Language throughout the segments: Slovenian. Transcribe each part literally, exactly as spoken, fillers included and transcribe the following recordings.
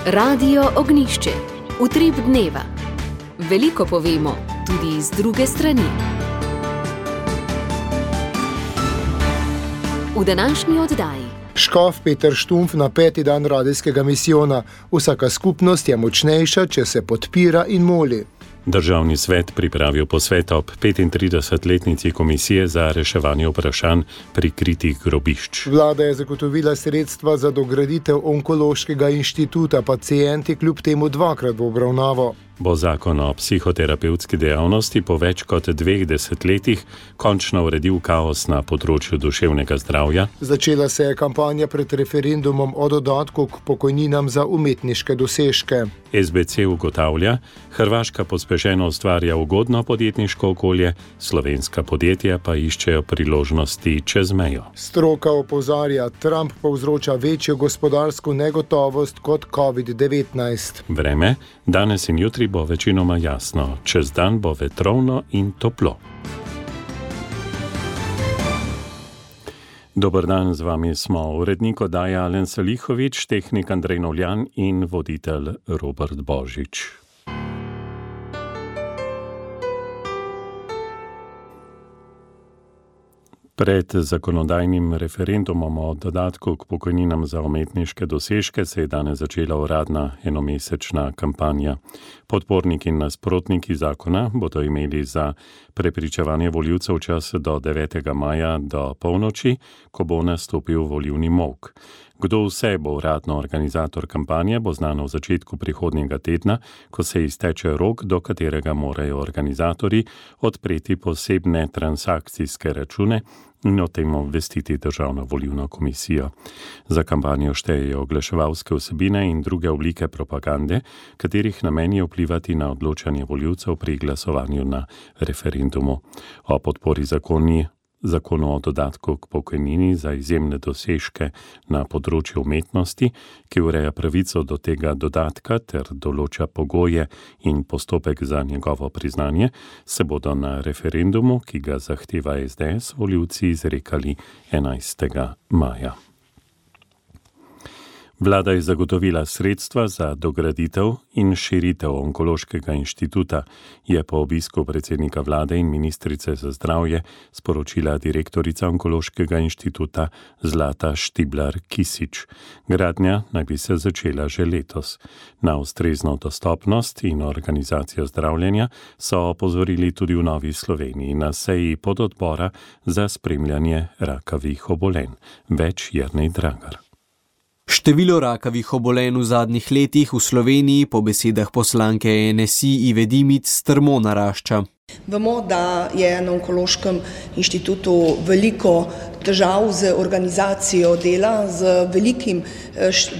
Radio Ognjišče. Utrip dneva. Veliko povemo, tudi z druge strani. V današnji oddaji. Škof Peter Štumpf na peti dan radijskega misijona. Vsaka skupnost je močnejša, če se podpira in moli. Državni svet pripravil posvet ob petintridesetletnici komisije za reševanje vprašanj prikritih grobišč. Vlada je zagotovila sredstva za dograditev onkološkega inštituta, pacienti kljub temu dvakrat v obravnavo. Bo zakon o psihoterapevtski dejavnosti po več kot dveh desetletjih končno uredil kaos na področju duševnega zdravja? Začela se je kampanja pred referendumom o dodatku k pokojninam za umetniške dosežke. S B C ugotavlja, Hrvaška pospešeno ustvarja ugodno podjetniško okolje, slovenska podjetja pa iščejo priložnosti čez mejo. Stroka opozarja, Trump povzroča večjo gospodarsko negotovost kot covid devetnajst. Vreme, danes in jutri bo večinoma jasno, čez dan bo vetrovno in toplo. Dober dan, z vami smo urednik oddaje Alen Salihovič, tehnik Andrej Novljan in voditelj Robert Božič. Pred zakonodajnim referendumom o dodatku k pokojninam za umetniške dosežke se je danes začela uradna enomesečna kampanja. Podporniki in nasprotniki zakona bodo imeli za prepričevanje volivcev čas do devetega maja do polnoči, ko bo nastopil volilni molk. Kdo vse bo uradno organizator kampanje, bo znano v začetku prihodnjega tedna, ko se izteče rok, do katerega morajo organizatorji odpreti posebne transakcijske račune in o tem obvestiti Državno volilno komisijo. Za kampanjo štejejo oglaševalske vsebine in druge oblike propagande, katerih namen je vplivati na odločanje volivcev pri glasovanju na referendumu. O podpori zakoni Zakonu o dodatku k pokojnini za izjemne dosežke na področju umetnosti, ki ureja pravico do tega dodatka ter določa pogoje in postopek za njegovo priznanje, se bodo na referendumu, ki ga zahteva S D S, volivci izrekali enajstega maja. Vlada je zagotovila sredstva za dograditev in širitev onkološkega inštituta, je po obisku predsednika vlade in ministrice za zdravje sporočila direktorica onkološkega inštituta Zlata Štiblar-Kisič. Gradnja naj bi se začela že letos. Na ustrezno dostopnost in organizacijo zdravljenja so opozorili tudi v Novi Sloveniji na seji pododbora za spremljanje rakavih obolenj. Več Jernej Dragar. Število rakavih obolenj v zadnjih letih v Sloveniji po besedah poslanke N S I Ive Dimic strmo narašča. Vemo, da je na onkološkem inštitutu veliko težav z organizacijo dela, z velikim,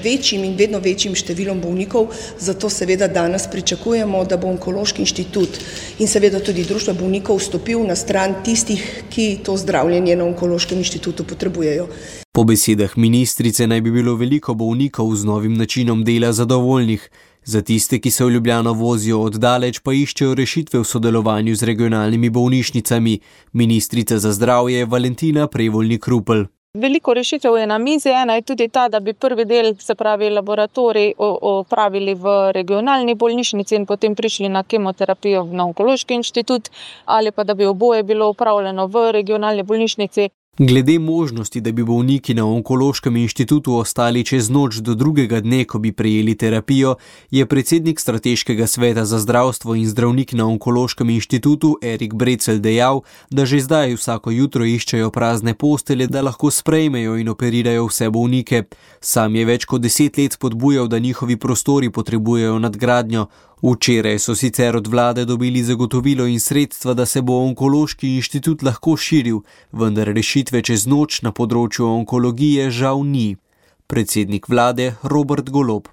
večjim in vedno večjim številom bolnikov, zato seveda danes pričakujemo, da bo onkološki inštitut in seveda tudi društvo bolnikov stopil na stran tistih, ki to zdravljenje na onkološkem inštitutu potrebujejo. Po besedah ministrice naj bi bilo veliko bolnikov z novim načinom dela zadovoljnih. Za tiste, ki se v Ljubljano vozijo oddaleč, pa iščejo rešitve v sodelovanju z regionalnimi bolnišnicami. Ministrica za zdravje Valentina Prevolnik-Rupel. Veliko rešitev je na mizi, ena je tudi ta, da bi prvi del, se pravi laboratorij, opravili v regionalni bolnišnici in potem prišli na kemoterapijo na onkološki inštitut, ali pa da bi oboje bilo opravljeno v regionalni bolnišnici. Glede možnosti, da bi bolniki na onkološkem inštitutu ostali čez noč do drugega dne, ko bi prejeli terapijo, je predsednik Strateškega sveta za zdravstvo in zdravnik na onkološkem inštitutu Erik Brecelj dejal, da že zdaj vsako jutro iščejo prazne postelje, da lahko sprejmejo in operirajo vse bolnike. Sam je več kot deset let spodbujal, da njihovi prostori potrebujejo nadgradnjo. Včeraj so sicer od vlade dobili zagotovilo in sredstva, da se bo onkološki inštitut lahko širil, vendar rešitve čez noč na področju onkologije žal ni. Predsednik vlade Robert Golob.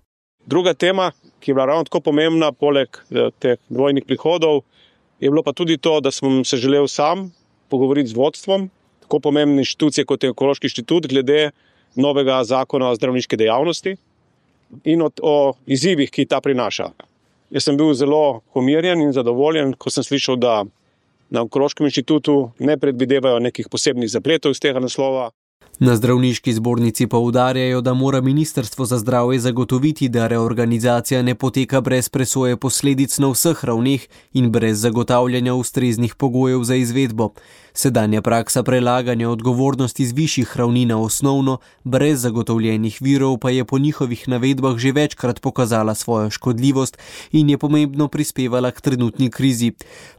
Druga tema, ki je bila ravno tako pomembna, poleg teh dvojnih prihodov, je bilo pa tudi to, da sem se želel sam pogovoriti z vodstvom tako pomembne inštitucije kot je onkološki inštitut glede novega zakona o zdravniški dejavnosti in o, o izzivih, ki ta prinaša. Jaz sem bil zelo pomirjen in zadovoljen, ko sem slišal, da na onkološkem inštitutu ne predvidevajo nekih posebnih zapletov iz tega naslova. Na zdravniški zbornici poudarjajo, da mora Ministrstvo za zdravje zagotoviti, da reorganizacija ne poteka brez presoje posledic na vseh ravneh in brez zagotavljanja ustreznih pogojev za izvedbo. Sedanja praksa prelaganja odgovornosti z višjih ravni na osnovno, brez zagotovljenih virov, pa je po njihovih navedbah že večkrat pokazala svojo škodljivost in je pomembno prispevala k trenutni krizi.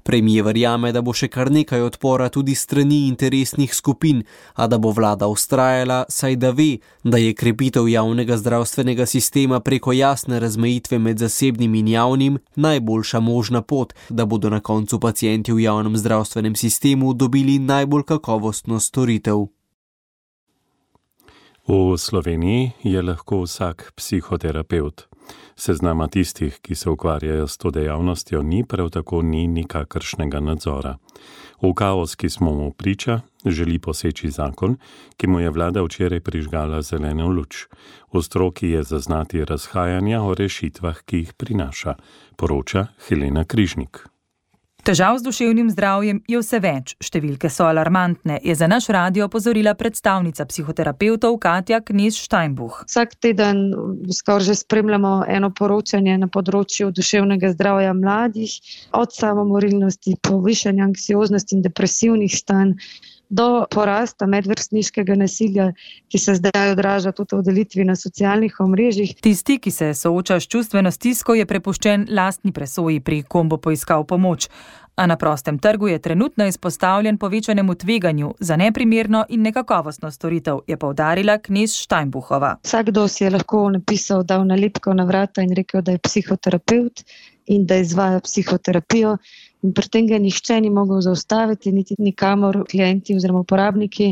Premier verjame, da bo še kar nekaj odpora tudi strani interesnih skupin, a da bo vlada ustrajala, saj da ve, da je krepitev javnega zdravstvenega sistema preko jasne razmejitve med zasebnim in javnim najboljša možna pot, da bodo na koncu pacienti v javnem zdravstvenem sistemu dobili najbolj kakovostno storitev. V Sloveniji je lahko vsak psihoterapevt. Seznama tistih, ki se ukvarjajo s to dejavnostjo, ni, prav tako ni nikakršnega nadzora. V kaos, ki smo mu priča, želi poseči zakon, ki mu je vlada včeraj prižgala zeleno luč. V stroki je zaznati razhajanja o rešitvah, ki jih prinaša, poroča Helena Križnik. Težav z duševnim zdravjem je vse več, številke so alarmantne, je za naš radio opozorila predstavnica psihoterapevtov Katja Knez-Steinbuch. Vsak teden skoraj že spremljamo eno poročanje na področju duševnega zdravja mladih, od samomorilnosti, povišanja anksioznosti in depresivnih stanj, do porasta medvrstniškega nasilja, ki se zdaj odraža tudi v delitvi na socialnih omrežjih. Tisti, ki se sooča s čustveno stisko, je prepuščen lastni presoji, pri kom bo poiskal pomoč. A na prostem trgu je trenutno izpostavljen povečanemu tveganju za neprimerno in nekakovostno storitev, je poudarila Knez-Steinbuchova. Vsakdo si je lahko napisal, dal nalepko na vrata in rekel, da je psihoterapeut in da izvaja psihoterapijo. In pri tem ga nihče ni mogel zaustaviti, niti nikamor klienti oziroma uporabniki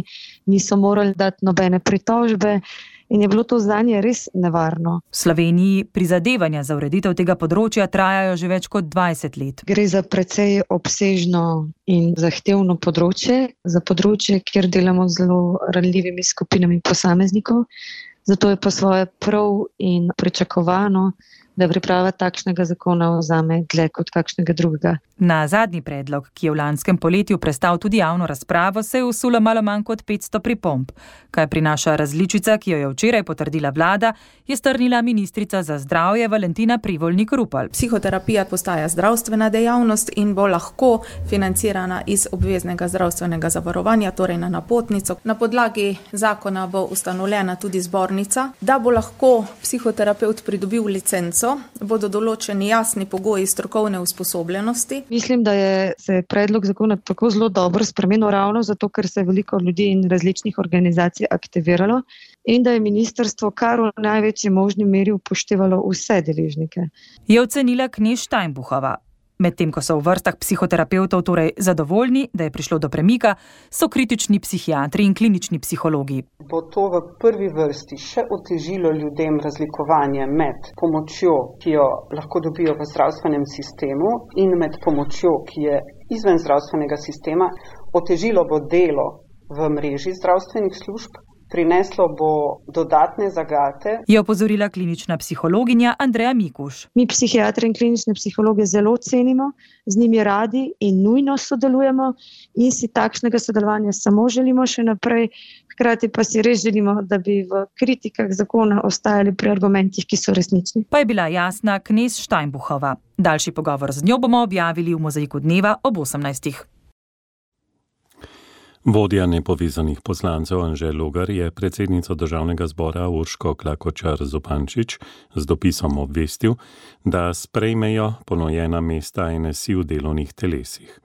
niso morali dati nobene pritožbe in je bilo to zanje res nevarno. V Sloveniji prizadevanja za ureditev tega področja trajajo že več kot dvajset let. Gre za precej obsežno in zahtevno področje, za področje, kjer delamo z zelo ranljivimi skupinami posameznikov, zato je pa svoje prav in pričakovano, da priprava takšnega zakona vzame dlje kot kakšnega drugega. Na zadnji predlog, ki je v lanskem poletju prestal tudi javno razpravo, se je vsulo malo manj kot petsto pripomb. Kaj prinaša različica, ki jo je včeraj potrdila vlada, je strnila ministrica za zdravje Valentina Prevolnik-Rupel. Psihoterapija postaja zdravstvena dejavnost in bo lahko financirana iz obveznega zdravstvenega zavarovanja, torej na napotnico. Na podlagi zakona bo ustanovljena tudi zbornica, da bo lahko psihoterapeut pridobil licenco, bodo določeni jasni pogoji strokovne usposobljenosti. Mislim, da je se predlog zakona tako zelo dobro spremenil ravno zato, ker se je veliko ljudi in različnih organizacij aktiviralo in da je ministrstvo kar v največji možni meri upoštevalo vse deležnike. Je ocenila Knez-Steinbuchova. Medtem ko so v vrstah psihoterapevtov torej zadovoljni, da je prišlo do premika, so kritični psihiatri in klinični psihologi. Bo to v prvi vrsti še otežilo ljudem razlikovanje med pomočjo, ki jo lahko dobijo v zdravstvenem sistemu, in med pomočjo, ki je izven zdravstvenega sistema. Otežilo bo delo v mreži zdravstvenih služb, prineslo bo dodatne zagate. Je opozorila klinična psihologinja Andreja Mikuš. Mi psihiatri in klinične psihologe zelo cenimo, z njimi radi in nujno sodelujemo in si takšnega sodelovanja samo želimo še naprej. Hkrati pa si res želimo, da bi v kritikah zakona ostajali pri argumentih, ki so resnični. Pa je bila jasna Knez-Steinbuchova. Daljši pogovor z njo bomo objavili v Mozaiku dneva ob osemnajstih. Vodja nepovezanih poslancev Anže Logar je predsednico državnega zbora Urško Klakočar Zupančič z dopisom obvestil, da sprejmejo ponujena mesta N S I v delovnih telesih.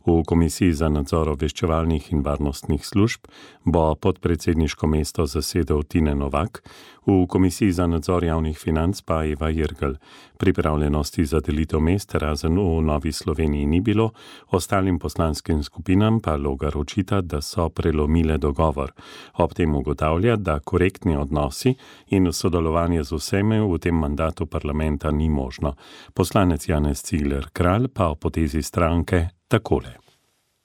V Komisiji za nadzor obveščevalnih in varnostnih služb bo podpredsedniško mesto zasedel Tine Novak, v Komisiji za nadzor javnih financ pa Eva Jirgl. Pripravljenosti za delitev mest razen v Novi Sloveniji ni bilo, ostalim poslanskim skupinam pa Logar očita, da so prelomile dogovor. Ob tem ugotavlja, da korektni odnosi in sodelovanje z vsemi v tem mandatu parlamenta ni možno. Poslanec Janez Cigler Kralj pa o potezi stranke takole.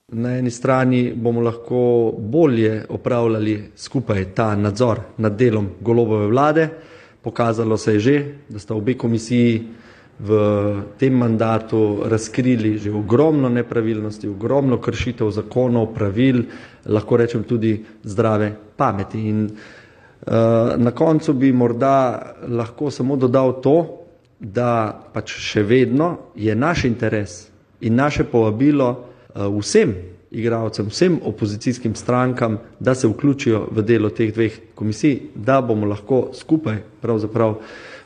Na eni strani bomo lahko bolje opravljali skupaj ta nadzor nad delom Golobove vlade. Pokazalo se je že, da sta obe komisiji v tem mandatu razkrili že ogromno nepravilnosti, ogromno kršitev zakonov, pravil, lahko rečem tudi zdrave pameti. In uh, na koncu bi morda lahko samo dodal to, da pač še vedno je naš interes in naše povabilo uh, vsem igralcem, vsem opozicijskim strankam, da se vključijo v delo teh dveh komisij, da bomo lahko skupaj pravzaprav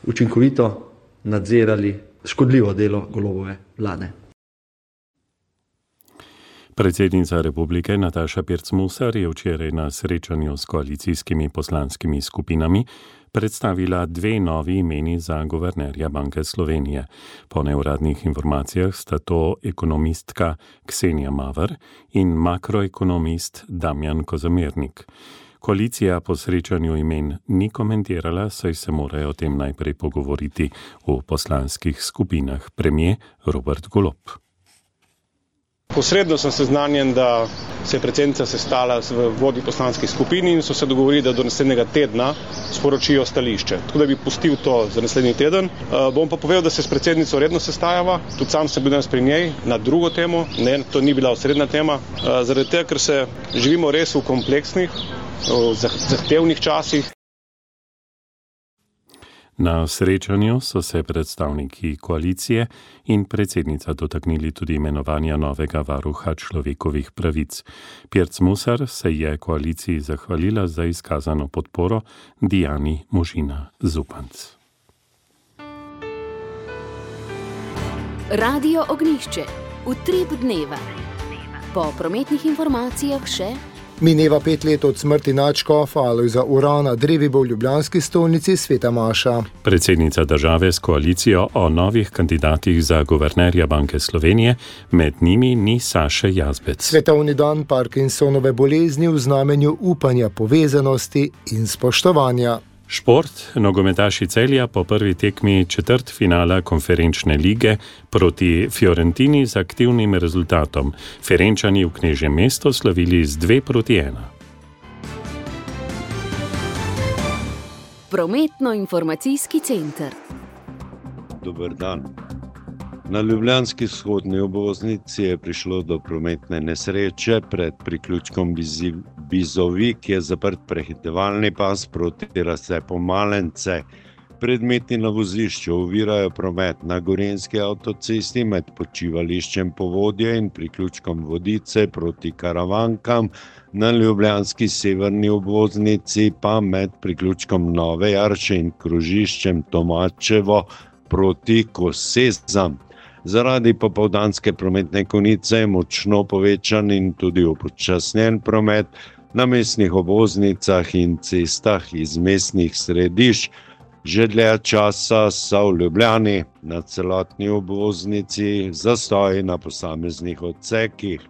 učinkovito nadzirali škodljivo delo Golobove vlade. Predsednica republike Nataša Pirc-Musar je včeraj na srečanju s koalicijskimi poslanskimi skupinami predstavila dve novi imeni za guvernerja Banke Slovenije. Po neuradnih informacijah sta to ekonomistka Ksenija Maver in makroekonomist Damjan Kozamernik. Koalicija po srečanju imen ni komentirala, saj se morajo o tem najprej pogovoriti v poslanskih skupinah. Premier Robert Golob. Posredno sem seznanjen, da se je predsednica sestala v vodji poslanskih skupin in so se dogovorili, da do naslednjega tedna sporočijo stališče. Tako da bi pustil to za naslednji teden. Uh, bom pa povedal, da se s predsednico redno sestajava, tudi sam sem bil danes pri njej na drugo temo, ne, to ni bila osrednja tema, uh, zaradi tega, ker se živimo res v kompleksnih, v zahtevnih časih. Na srečanju so se predstavniki koalicije in predsednica dotaknili tudi imenovanja novega varuha človekovih pravic. Pirc-Musar se je koaliciji zahvalila za izkazano podporo Dijani Možina Zupanc. Radio Ognjišče. Utrip dneva. Po prometnih informacijah še mineva pet let od smrti nadškofa Alojza Urana Drevibo v ljubljanski stolnici Sveta Maša. Predsednica države s koalicijo o novih kandidatih za guvernerja Banke Slovenije, med njimi ni Saše Jazbec. Svetovni dan Parkinsonove bolezni v znamenju upanja, povezanosti in spoštovanja. Šport, nogometaši Celja po prvi tekmi četrtfinala konferenčne lige proti Fiorentini z aktivnim rezultatom. Ferenčani v Knežjem mestu slavili z dve proti ena. Prometno-informacijski center. Dober dan. Na ljubljanski vzhodni obvoznici je prišlo do prometne nesreče pred priključkom Bizovi, ki je zaprt prehitevalni pas proti razcepu Malence. Predmeti na vozišču ovirajo promet na Gorenjski avtocesti med počivališčem Povodje in priključkom Vodice proti Karavankam, na ljubljanski severni obvoznici pa med priključkom Nove Jarše in krožiščem Tomačevo proti Kosezam. Zaradi popoldanske prometne konice je močno povečan in tudi upočasnjen promet na mestnih obvoznicah in cestah iz mestnih središč. Že dlje časa so v Ljubljani na celotni obvoznici zastoji na posameznih odsekih.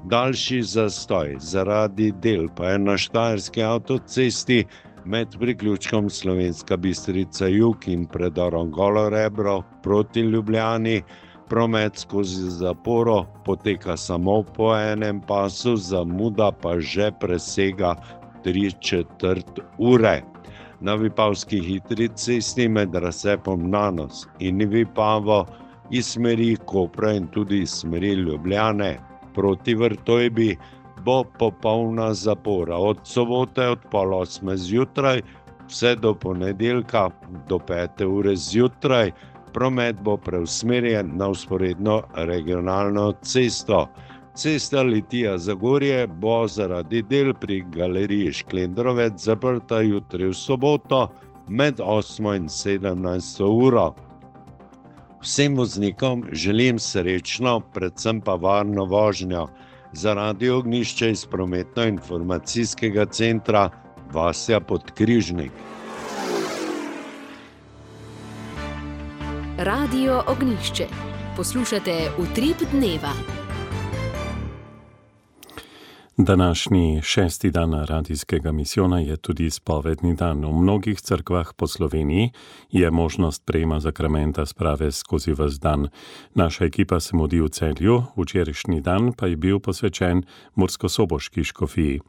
Daljši zastoj zaradi del pa je na Štajerski avtocesti med priključkom Slovenska Bistrica jug in predorom Golo Rebro proti Ljubljani. Promet skozi zaporo poteka samo po enem pasu, zamuda pa že presega tri četrt ure. Na Vipavski hitri cesti med razcepom Nanos in Vipavo iz smeri Kopra in tudi iz smeri Ljubljane proti Vrtojbi bo popolna zapora od sobote od pol osme zjutraj vse do ponedeljka do pete ure zjutraj. Promet bo preusmerjen na vzporedno regionalno cesto. Cesta Litija-Zagorje bo zaradi del pri galeriji Šklendrovec zaprta jutri v soboto med osmo in sedemnajsto uro. Vsem voznikom želim srečno, predvsem pa varno vožnjo. Za Radio Ognjišče iz prometno-informacijskega centra Vasja Podkrižnik. Radio Ognjišče. Poslušate Utrip dneva. Današnji šesti dan radijskega misijona je tudi spovedni dan. V mnogih cerkvah po Sloveniji je možnost prejema zakramenta sprave skozi ves dan. Naša ekipa se mudi v Celju, včerajšnji dan pa je bil posvečen murskosoboški škofiji.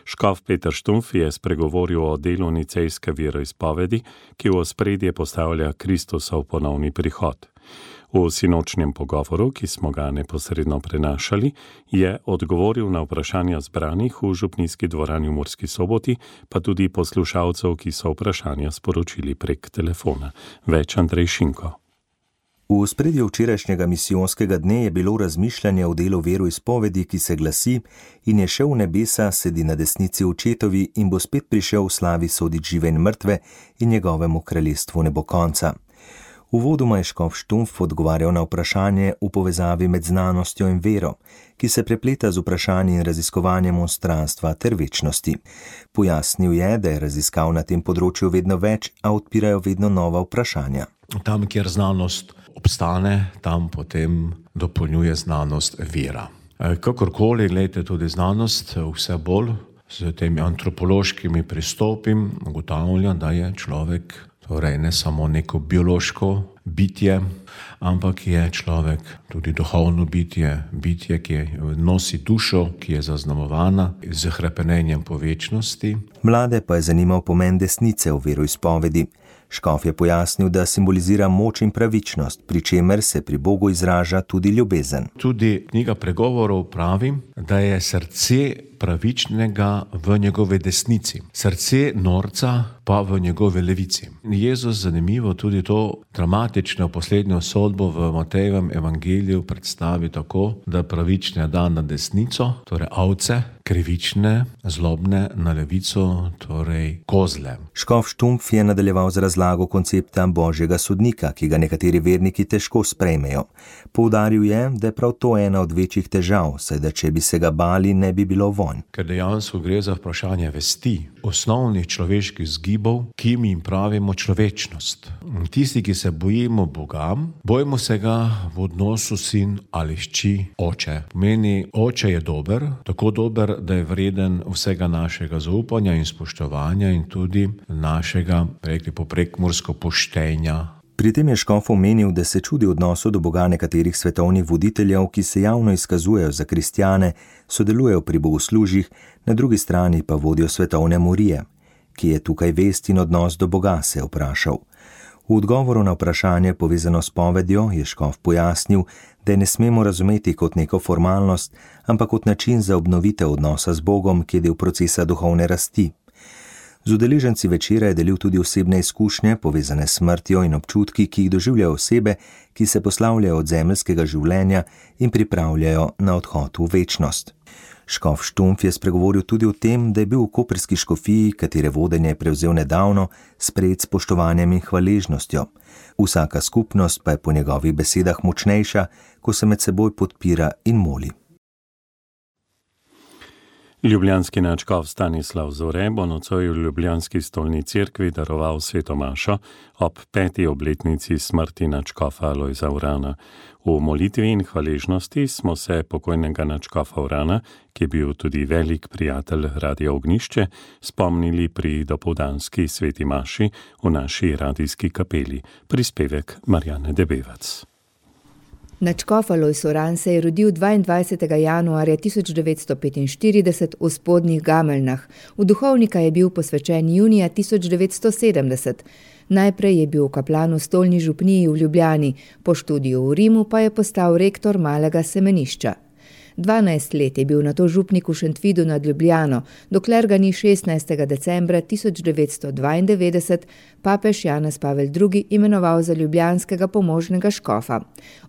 Škof Peter Štumpf je spregovoril o delu nicejske veroizpovedi, ki v ospredje postavlja Kristusov ponovni prihod. V sinočnjem pogovoru, ki smo ga neposredno prenašali, je odgovoril na vprašanja zbranih v župnijski dvorani v Murski Soboti, pa tudi poslušalcev, ki so vprašanja sporočili prek telefona. Več Andrej Šinko. V ospredju včerajšnjega misijonskega dne je bilo razmišljanje o delu veroizpovedi, ki se glasi: in je šel v nebesa, sedi na desnici očetovi in bo spet prišel v slavi soditi žive in mrtve in njegovemu kraljestvu ne bo konca. Uvodoma je škof Štumpf odgovarjal na vprašanje v povezavi med znanostjo in vero, ki se prepleta z vprašanji in raziskovanjem monstranstva ter večnosti. Pojasnil je, da je raziskav na tem področju vedno več, a odpirajo vedno nova vprašanja. Tam, kjer znanost obstane, tam potem dopolnjuje znanost vera. Kakorkoli, gledajte, tudi znanost vse bolj s temi antropološkimi pristopi ugotavlja, da je človek torej ne samo neko biološko bitje, ampak je človek tudi duhovno bitje, bitje, ki nosi dušo, ki je zaznamovana z hrepenenjem po večnosti. Mlade pa je zanimal pomen desnice v veroizpovedi. Škof je pojasnil, da simbolizira moč in pravičnost, pri čemer se pri Bogu izraža tudi ljubezen. Tudi knjiga pregovorov pravi, da je srce pravičnega v njegove desnici, srce norca pa v njegove levici. Jezus, zanimivo, tudi to dramatično poslednjo sodbo v Matejevem evangeliju predstavi tako, da pravične da na desnico, torej ovce, krivične, zlobne na levico, torej kozle. Škof Štumpf je nadaljeval z razlago koncepta božjega sodnika, ki ga nekateri verniki težko sprejmejo. Poudaril je, da je prav to ena od večjih težav, saj da če bi se ga bali, ne bi bilo vonj. Ker dejansko gre za vprašanje vesti, osnovnih človeških zgibov, ki mi jim pravimo človečnost. Tisti, ki se bojimo Boga, bojimo se ga v odnosu sin ali hči oče. Pomeni, oče je dober, tako dober, da je vreden vsega našega zaupanja in spoštovanja in tudi našega, rekli po prekmursko, poštenja. Pri tem je škof omenil, da se čudi odnosu do Boga nekaterih svetovnih voditeljev, ki se javno izkazujejo za kristjane, sodelujejo pri bogoslužjih, na drugi strani pa vodijo svetovne morije. Ki je tukaj vest in odnos do Boga, se je vprašal. V odgovoru na vprašanje povezano s povedjo je škof pojasnil, da je ne smemo razumeti kot neko formalnost, ampak kot način za obnovitev odnosa z Bogom, ki je del procesa duhovne rasti. Z udeleženci večera je delil tudi osebne izkušnje, povezane s smrtjo in občutki, ki jih doživljajo osebe, ki se poslavljajo od zemeljskega življenja in pripravljajo na odhod v večnost. Škof Štumpf je spregovoril tudi o tem, da je bil v koprski škofiji, katere vodenje je prevzel nedavno, sprejet s spoštovanjem in hvaležnostjo. Vsaka skupnost pa je po njegovih besedah močnejša, ko se med seboj podpira in moli. Ljubljanski nadškof Stanislav Zore bo nocoj v ljubljanski stolni cerkvi daroval sveto mašo ob peti obletnici smrti nadškofa Alojza Urana. V molitvi in hvaležnosti smo se pokojnega nadškofa Urana, ki je bil tudi velik prijatelj Radia Ognjišče, spomnili pri dopoldanski sveti maši v naši radijski kapeli. Prispevek Marjane Debevac. Nadškof Alojz Uran se je rodil dvaindvajsetega januarja tisoč devetsto petinštirideset v Spodnjih Gameljnah. V duhovnika je bil posvečen junija tisoč devetsto sedemdeset. Najprej je bil kaplan v stolni župniji v Ljubljani, po študiju v Rimu pa je postal rektor malega semenišča. dvanajst let je bil nato župnik v Šentvidu nad Ljubljano, dokler ga ni šestnajstega decembra tisoč devetsto dvaindevetdeset papež Janez Pavel drugi imenoval za ljubljanskega pomožnega škofa.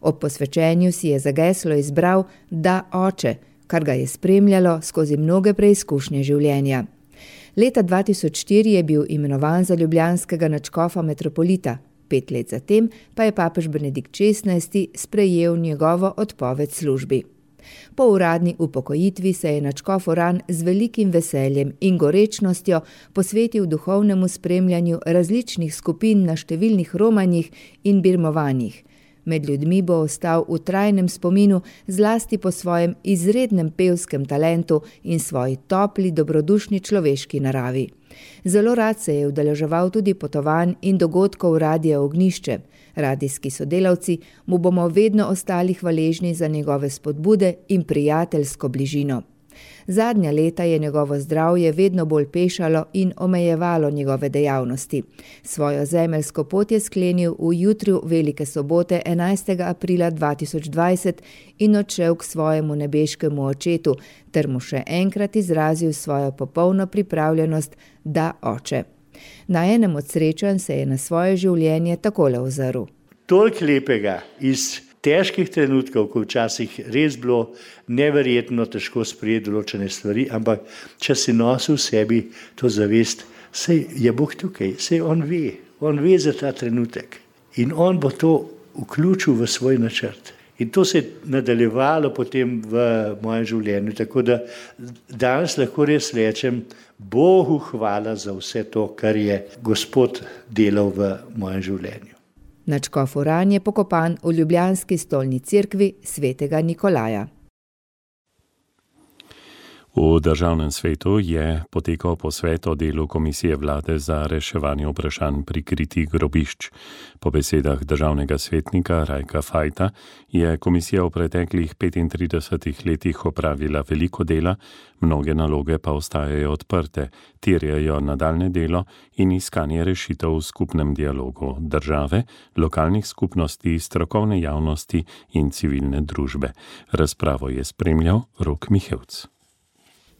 Ob posvečenju si je za geslo izbral Da, oče, kar ga je spremljalo skozi mnoge preizkušnje življenja. Leta dva tisoč štiri je bil imenovan za ljubljanskega nadškofa metropolita, pet let zatem pa je papež Benedikt šestnajsti sprejel njegovo odpoved službi. Po uradni upokojitvi se je nadškof Uran z velikim veseljem in gorečnostjo posvetil duhovnemu spremljanju različnih skupin na številnih romanjih in birmovanjih. Med ljudmi bo ostal v trajnem spominu zlasti po svojem izrednem pevskem talentu in svoji topli, dobrodušni človeški naravi. Zelo rad se je udeleževal tudi potovanj in dogodkov Radia Ognjišče. Radijski sodelavci mu bomo vedno ostali hvaležni za njegove spodbude in prijateljsko bližino. Zadnja leta je njegovo zdravje vedno bolj pešalo in omejevalo njegove dejavnosti. Svojo zemeljsko pot je sklenil v jutru velike sobote enajstega aprila dva tisoč dvajset in odšel k svojemu nebeškemu očetu, ter mu še enkrat izrazil svojo popolno pripravljenost, da oče. Na enem od srečanj se je na svoje življenje takole ozrl. Toliko lepega iz težkih trenutkov, ko včasih res bilo neverjetno težko sprejeti določene stvari, ampak če si nosil v sebi to zavest, sej je Bog tukaj, sej on ve, on ve za ta trenutek in on bo to vključil v svoj načrt. In to se je nadaljevalo potem v mojem življenju, tako da danes lahko res rečem, Bogu hvala za vse to, kar je Gospod delal v mojem življenju. Nadškof Uran je pokopan v ljubljanski stolni cerkvi svetega Nikolaja. V državnem svetu je potekal posvet o delu Komisije vlade za reševanje vprašanj prikritih grobišč. Po besedah državnega svetnika Rajka Fajta je komisija v preteklih petintridesetih letih opravila veliko dela, mnoge naloge pa ostajajo odprte, terjajo nadaljne delo in iskanje rešitev v skupnem dialogu države, lokalnih skupnosti, strokovne javnosti in civilne družbe. Razpravo je spremljal Rok Mihevc.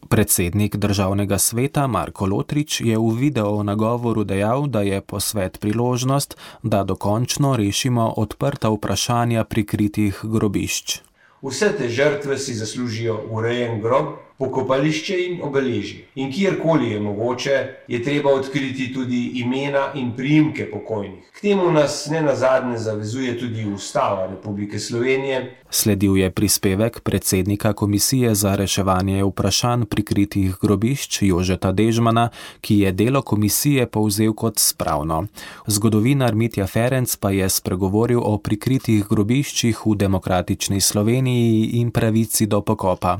Predsednik državnega sveta Marko Lotrič je v video nagovoru dejal, da je posvet priložnost, da dokončno rešimo odprta vprašanja prikritih grobišč. Vse te žrtve si zaslužijo urejen grob, pokopališče in obeležje. In kjerkoli je mogoče, je treba odkriti tudi imena in priimke pokojnih. K temu nas nenazadnje zavezuje tudi Ustava Republike Slovenije. Sledil je prispevek predsednika Komisije za reševanje vprašanj prikritih grobišč Jožeta Dežmana, ki je delo komisije povzel kot spravno. Zgodovinar Mitja Ferenc pa je spregovoril o prikritih grobiščih v demokratični Sloveniji in pravici do pokopa.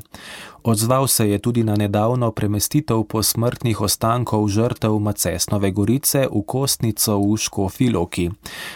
Odzval se je tudi na nedavno premestitev posmrtnih ostankov žrtev Macesnove Gorice v Kostnico v Škofji Loki.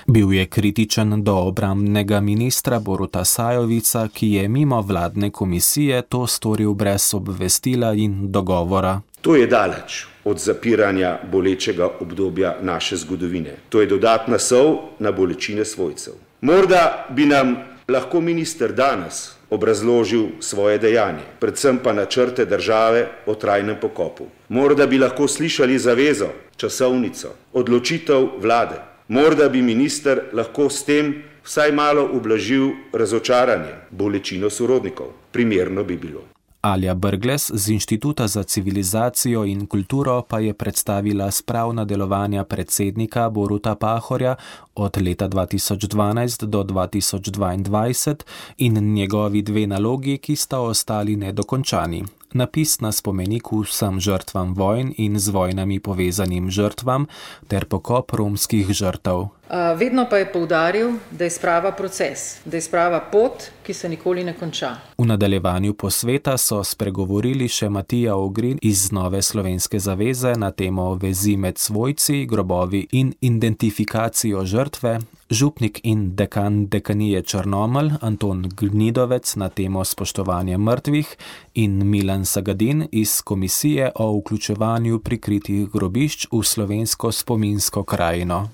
Bil je kritičen do obrambnega ministra Boruta Sajovica, ki je mimo vladne komisije to storil brez obvestila in dogovora. To je daleč od zapiranja bolečega obdobja naše zgodovine. To je dodatna sol na bolečine svojcev. Morda bi nam lahko minister danes obrazložil svoje dejanje, predvsem pa načrte države o trajnem pokopu. Morda bi lahko slišali zavezo, časovnico, odločitev vlade. Morda bi minister lahko s tem vsaj malo ublažil razočaranje, bolečino sorodnikov. Primerno bi bilo. Alja Brglez z Inštituta za civilizacijo in kulturo pa je predstavila spravna delovanja predsednika Boruta Pahorja od leta dva tisoč dvanajst do dva tisoč dvaindvajset in njegovi dve nalogi, ki sta ostali nedokončani. Napis na spomeniku vsem žrtvam vojn in z vojnami povezanim žrtvam ter pokop romskih žrtev. Vedno pa je poudaril, da je sprava proces, da je sprava pot, ki se nikoli ne konča. V nadaljevanju posveta so spregovorili še Matija Ogrin iz Nove slovenske zaveze na temo vezi med svojci, grobovi in identifikacijo žrtve, župnik in dekan dekanije Črnomelj Anton Gnidovec na temo spoštovanja mrtvih in Milan Sagadin iz Komisije o vključevanju prikritih grobišč v slovensko spominsko krajino.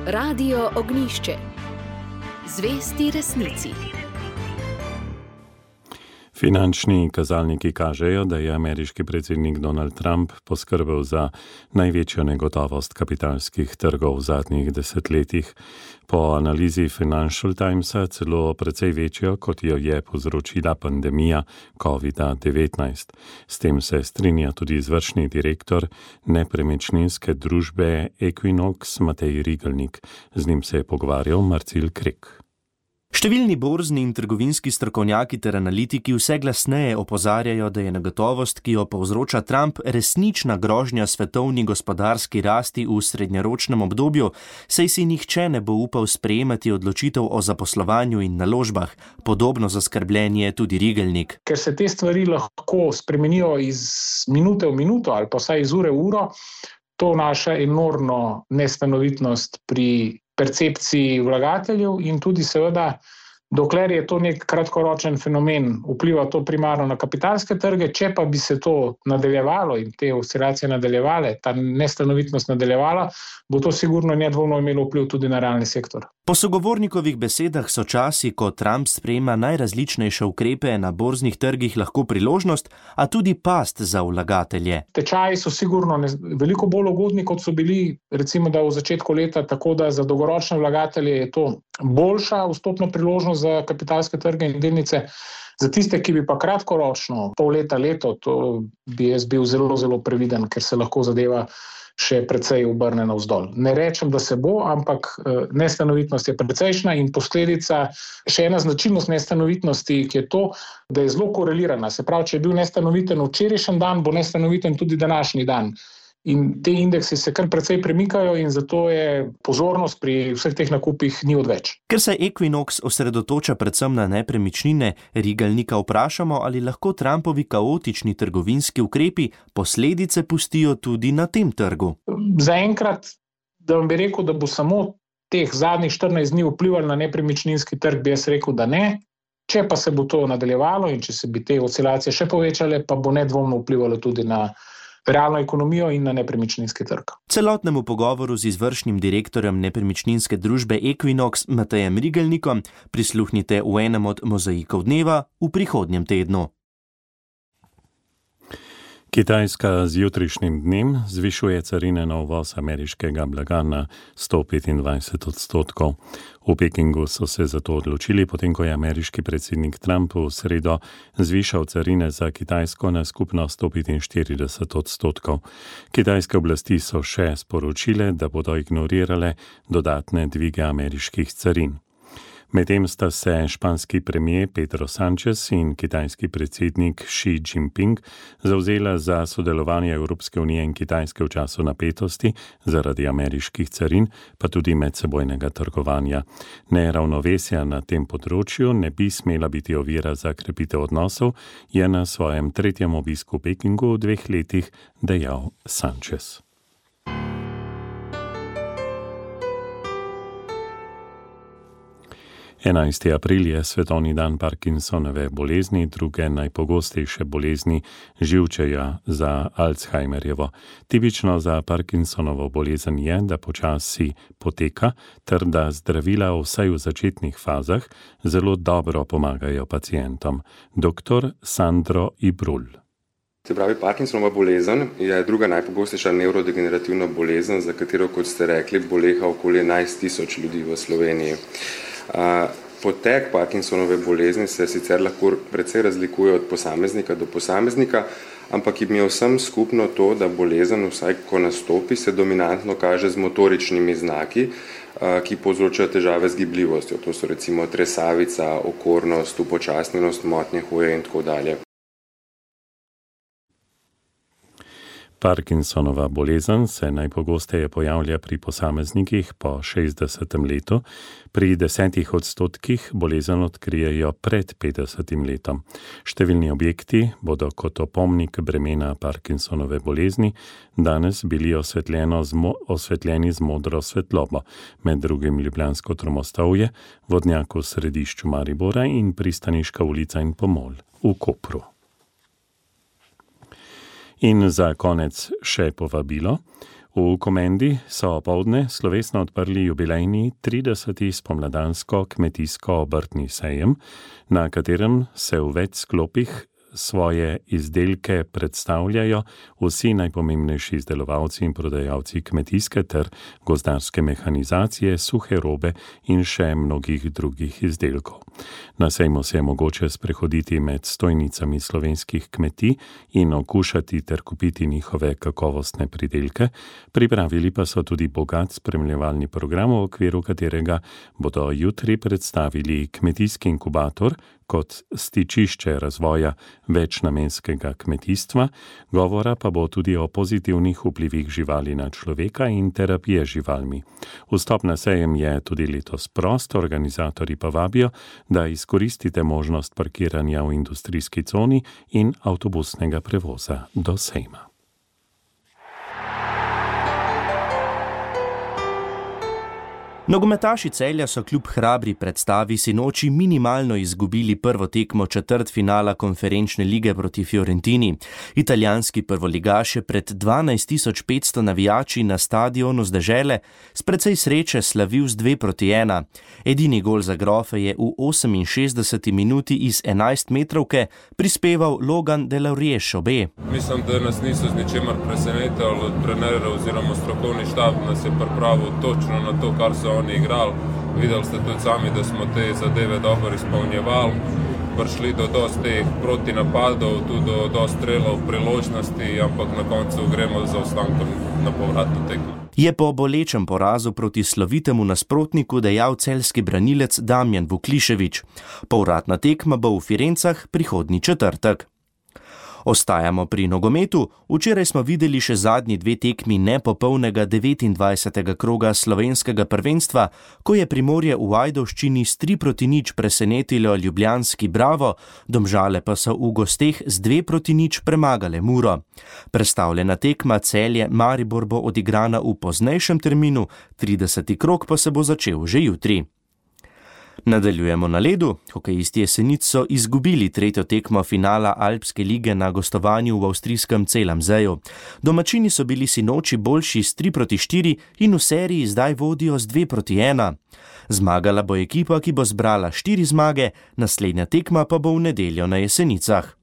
Radio Ognjišče. Zvesti resnici. Finančni kazalniki kažejo, da je ameriški predsednik Donald Trump poskrbel za največjo negotovost kapitalskih trgov v zadnjih desetletjih. Po analizi Financial Timesa celo precej večjo, kot jo je povzročila pandemija kovida devetnajst. S tem se strinja tudi izvršni direktor nepremičninske družbe Equinox Matej Rigelnik. Z njim se je pogovarjal Marcel Krek. Številni borzni in trgovinski strokovnjaki ter analitiki vse glasneje opozarjajo, da je negotovost, ki jo povzroča Trump, resnična grožnja svetovni gospodarski rasti v srednjeročnem obdobju, saj si nihče ne bo upal sprejemati odločitev o zaposlovanju in naložbah. Podobno zaskrbljen je tudi Rigelnik. Ker se te stvari lahko spremenijo iz minute v minuto ali pa vsaj iz ure v uro, to vnaša enormno nestanovitnost pri percepciji vlagateljev in tudi seveda Dokler je to nek kratkoročen fenomen, vpliva to primarno na kapitalske trge, če pa bi se to nadaljevalo in te oscilacije nadaljevale, ta nestanovitnost nadaljevala, bo to sigurno nedvomno imelo vpliv tudi na realni sektor. Po sogovornikovih besedah so časi, ko Trump sprejema najrazličnejše ukrepe na borznih trgih, lahko priložnost, a tudi past za vlagatelje. Tečaji so sigurno ne, veliko bolj ugodni, kot so bili recimo da v začetku leta, tako da za dolgoročne vlagatelje je to boljša vstopna priložnost za kapitalske trge in delnice. Za tiste, ki bi pa kratkoročno, pol leta, leto, to bi jaz bil zelo, zelo previden, ker se lahko zadeva še precej obrne navzdol. Ne rečem, da se bo, ampak nestanovitnost je precejšnja in posledica, še ena značilnost nestanovitnosti, ki je to, da je zelo korelirana. Se pravi, če je bil nestanoviten včerajšnji dan, bo nestanoviten tudi današnji dan. In te indeksi se kar precej premikajo in zato je pozornost pri vseh teh nakupih ni odveč. Ker se Equinox osredotoča predvsem na nepremičnine, Rigelnika vprašamo, ali lahko Trumpovi kaotični trgovinski ukrepi posledice pustijo tudi na tem trgu. Zaenkrat, da vam bi rekel, da bo samo teh zadnjih štirinajst dni vplivalo na nepremičninski trg, bi jaz rekel, da ne. Če pa se bo to nadaljevalo in če se bi te oscilacije še povečale, pa bo nedvomno vplivalo tudi na realno ekonomijo in na nepremičninski trg. Celotnemu pogovoru z izvršnim direktorjem nepremičninske družbe Equinox Matejem Rigelnikom prisluhnite v enem od mozaikov dneva v prihodnjem tednu. Kitajska z jutrišnjim dnem zvišuje carine na uvoz ameriškega blaga na sto petindvajset odstotkov. V Pekingu so se zato odločili, potem ko je ameriški predsednik Trump v sredo zvišal carine za Kitajsko na skupno sto petinštirideset odstotkov. Kitajske oblasti so še sporočile, da bodo ignorirale dodatne dvige ameriških carin. Medtem sta se španski premier Pedro Sánchez in kitajski predsednik Xi Jinping zavzela za sodelovanje Evropske unije in Kitajske v času napetosti zaradi ameriških carin, pa tudi medsebojnega trgovanja. Neravnovesja na tem področju ne bi smela biti ovira za krepitev odnosov, je na svojem tretjem obisku v Pekingu v dveh letih dejal Sánchez. enajsti april je svetovni dan Parkinsonove bolezni, druge najpogostejše bolezni živčevja za Alzheimerjevo. Tipično za Parkinsonovo bolezen je, da počasi poteka, ter da zdravila vsaj v začetnih fazah zelo dobro pomagajo pacientom. Doktor Sandro Ibrul. Se pravi, Parkinsonova bolezen je druga najpogostejša nevrodegenerativna bolezen, za katero, kot ste rekli, boleha okoli enajst tisoč ljudi v Sloveniji. Potek Parkinsonove bolezni se sicer lahko precej razlikuje od posameznika do posameznika, ampak jim je vsem skupno to, da bolezen, vsaj ko nastopi, se dominantno kaže z motoričnimi znaki, ki povzročajo težave z gibljivostjo. To so recimo tresavica, okornost, upočasnjenost, motnje hoje in tako dalje. Parkinsonova bolezen se najpogosteje pojavlja pri posameznikih po šestdesetem letu, pri desetih odstotkih bolezen odkrijejo pred petdesetim letom. Številni objekti bodo kot opomnik bremena Parkinsonove bolezni danes bili osvetljeni z modro svetlobo, med drugim Ljubljansko Tromostovje, vodnjak v središču Maribora in Pristaniška ulica in Pomol v Kopru. In za konec še povabilo. V Komendi so opoldne slovesno odprli jubilejni trideseti spomladansko kmetijsko obrtni sejem, na katerem se v več sklopih svoje izdelke predstavljajo vsi najpomembnejši izdelovalci in prodajalci kmetijske ter gozdarske mehanizacije, suhe robe in še mnogih drugih izdelkov. Na sejmu se je mogoče sprehoditi med stojnicami slovenskih kmetij in okušati ter kupiti njihove kakovostne pridelke. Pripravili pa so tudi bogat spremljevalni program, v okviru katerega bodo jutri predstavili kmetijski inkubator kot stičišče razvoja večnamenskega kmetijstva, govora pa bo tudi o pozitivnih vplivih živali na človeka in terapije živalmi. Vstop na sejem je tudi letos prost, organizatorji pa vabijo, da izkoristite možnost parkiranja v industrijski coni in avtobusnega prevoza do sejma. Nogometaši Celja so kljub hrabri predstavi sinoči minimalno izgubili prvo tekmo četrtfinala konferenčne lige proti Fiorentini. Italijanski prvoligaš je pred dvanajst tisoč petsto navijači na stadionu z dežele s precej sreče slavil z dve proti ena. Edini gol za grofe je v oseminšestdeseti minuti iz enajstmetrovke prispeval Logan Delaurier-Šobe. Mislim, da nas niso z ničemer presenetili od trenerja oziroma strokovni štab, nas je pripravil točno na to, kar so oni igrali. Videli ste tudi sami, da smo te zadeve dobro izpolnjevali. Prišli do dosti teh protinapadov, tudi do dosti strelov, priložnosti, ampak na koncu gremo za ostankom na povratno tekmo. Je po bolečem porazu proti slovitemu nasprotniku dejal celjski branilec Damjan Vuklišević. Povratna tekma bo v Firencah prihodnji četrtek. Ostajamo pri nogometu. Včeraj smo videli še zadnji dve tekmi nepopolnega devetindvajsetega kroga slovenskega prvenstva, ko je Primorje v Ajdovščini s tri proti nič presenetilo ljubljanski Bravo, Domžale pa so v gosteh z dve proti nič premagale Muro. Prestavljena tekma Celje Maribor bo odigrana v poznejšem terminu, trideseti krog pa se bo začel že jutri. Nadaljujemo na ledu. Hokejisti Jesenic so izgubili tretjo tekmo finala Alpske lige na gostovanju v avstrijskem Celamzeju. Domačini so bili sinoči boljši s tri proti štiri in v seriji zdaj vodijo z dve proti ena. Zmagala bo ekipa, ki bo zbrala štiri zmage, naslednja tekma pa bo v nedeljo na Jesenicah.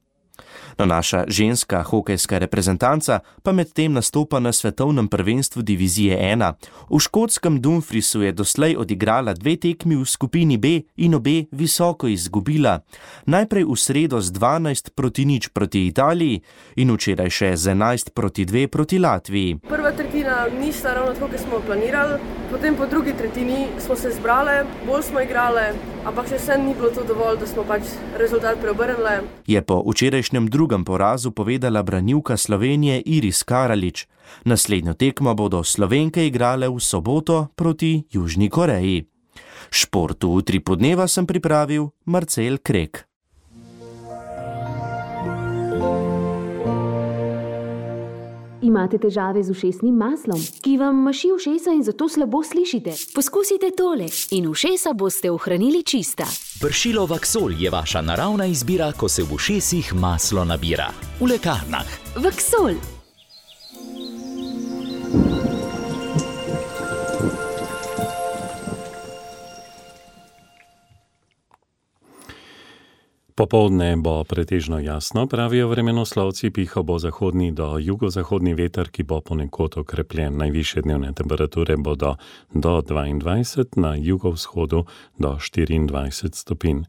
No, naša ženska hokejska reprezentanca pa medtem nastopa na svetovnem prvenstvu divizije ena. V škotskem Dumfriesu je doslej odigrala dve tekmi v skupini B in obe visoko izgubila. Najprej v sredo z dvanajst proti nič proti Italiji in včeraj še z enajst proti dve proti Latviji. Prva tretjina ni sta ravno tako, kot smo planirali, potem po drugi tretjini smo se zbrale, bolj smo igrale, ampak še vsem ni bilo to dovolj, da smo pač rezultat preobrnili. Je po včerajšnjem drugem porazu povedala branilka Slovenije Iris Karalič. Naslednjo tekmo bodo Slovenke igrale v soboto proti Južni Koreji. Športu v tri podneva sem pripravil Marcel Krek. Imate težave z ušesnim maslom, ki vam maši ušesa in zato slabo slišite? Poskusite tole in ušesa boste ohranili čista. Pršilo Vaksol je vaša naravna izbira, ko se v ušesih maslo nabira. V lekarnah. Vaksol. Popoldne bo pretežno jasno, pravijo vremenoslovci, pihal bo zahodni do jugozahodni veter, ki bo ponekod okrepljen. Najvišje dnevne temperature bodo do dvaindvajset, na jugovzhodu do štiriindvajset stopinj.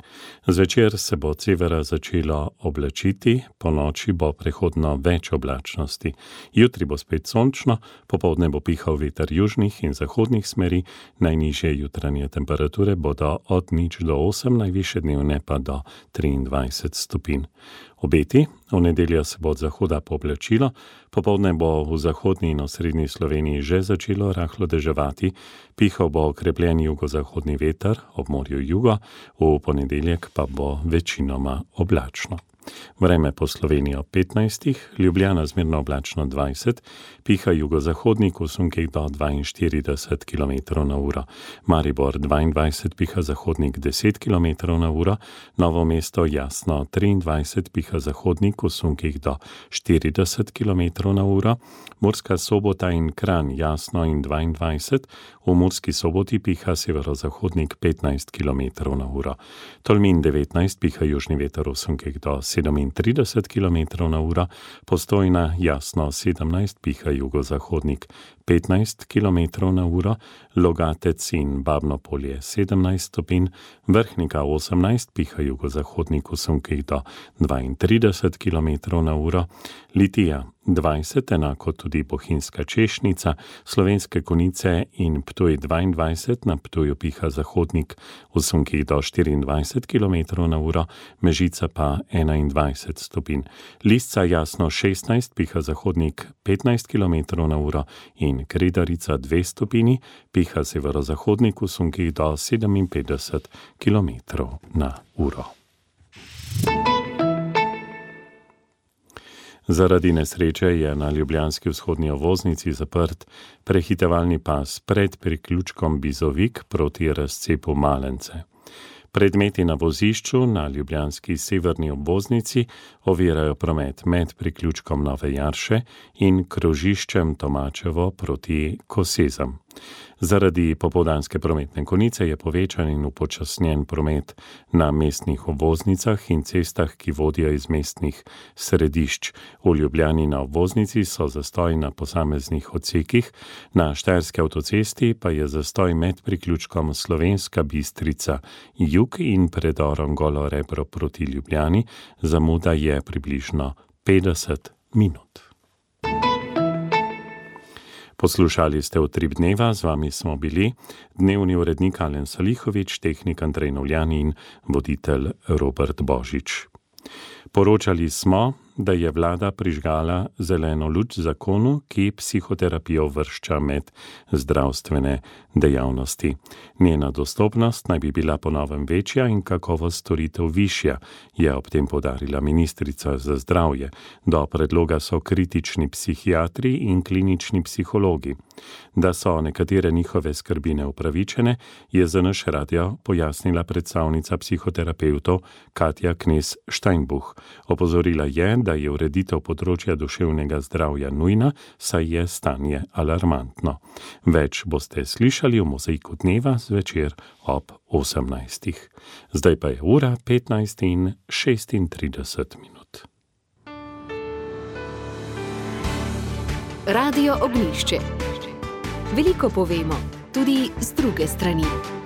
Zvečer se bo od severa začelo oblačiti, po noči bo prehodno več oblačnosti. Jutri bo spet sončno, popoldne bo pihal veter južnih in zahodnih smeri, najnižje jutranje temperature bodo od nič do osem, najvišje dnevne pa do triindvajset stopinj. Obeti, v nedeljo se bo od zahoda pooblačilo, popoldne bo v zahodni in osrednji Sloveniji že začelo rahlo deževati, pihal bo okrepljen jugozahodni veter, ob morju jugo, v ponedeljek pa bo večinoma oblačno. Vreme po Sloveniji ob petnajstih, Ljubljana zmerno oblačno dvajset, piha jugozahodnik v sunkih do dvainštirideset kilometrov na uro. Maribor dvaindvajset, piha zahodnik deset kilometrov na uro, Novo mesto jasno triindvajset, piha zahodnik v sunkih do štirideset kilometrov na uro, Murska Sobota in Kranj jasno in dvaindvajset, v Murski Soboti piha severozahodnik petnajst kilometrov na uro. Tolmin devetnajst, piha južni veter v sunkih do sedemintrideset kilometrov na uro, Postojna jasno sedemnajst, piha jugozahodnik petnajst kilometrov na uro, Logatec in Babno Polje sedemnajst stopinj, Vrhnika osemnajst, piha jugozahodnik v sunkih do dvaintrideset kilometrov na uro, Litija dvajset, enako tudi Bohinjska Češnica, Slovenske Konjice in Ptuj dvaindvajset, na Ptuju piha zahodnik v sunkih do štiriindvajset kilometrov na uro, Mežica pa enaindvajset stopinj. Lisca jasno šestnajst, piha zahodnik petnajst kilometrov na uro in Kredarica dve stopinji, piha severozahodnik v sunkih do sedeminpetdeset kilometrov na uro. Zaradi nesreče je na ljubljanski vzhodni obvoznici zaprt prehitevalni pas pred priključkom Bizovik proti razcepu Malence. Predmeti na vozišču na ljubljanski severni obvoznici ovirajo promet med priključkom Nove Jarše in krožiščem Tomačevo proti Kosezam. Zaradi popoldanske prometne konice je povečan in upočasnjen promet na mestnih obvoznicah in cestah, ki vodijo iz mestnih središč. V Ljubljani na obvoznici so zastoji na posameznih odsekih, na Štajerski avtocesti pa je zastoj med priključkom Slovenska Bistrica jug in predorom Golo Rebro proti Ljubljani, zamuda je približno petdeset minut. Poslušali ste Utrip dneva, z vami smo bili dnevni urednik Alen Salihovič, tehnik Andrej Novljan in voditelj Robert Božič. Poročali smo, da je vlada prižgala zeleno luč zakonu, ki psihoterapijo uvršča med zdravstvene dejavnosti. Njena dostopnost naj bi bila po novem večja in kakovost storitev višja, je ob tem poudarila ministrica za zdravje. Do predloga so kritični psihiatri in klinični psihologi. Da so nekatere njihove skrbi neupravičene, je za naš radio pojasnila predstavnica psihoterapevtov Katja Knez Steinbuch. Opozorila je, da je ureditev področja duševnega zdravja nujna, saj je stanje alarmantno. Več boste slišali v Mozaiku dneva zvečer ob osemnajstih. Zdaj pa je ura petnajst in šestintrideset minut. Radio Ognjišče. Veliko povemo, tudi z druge strani.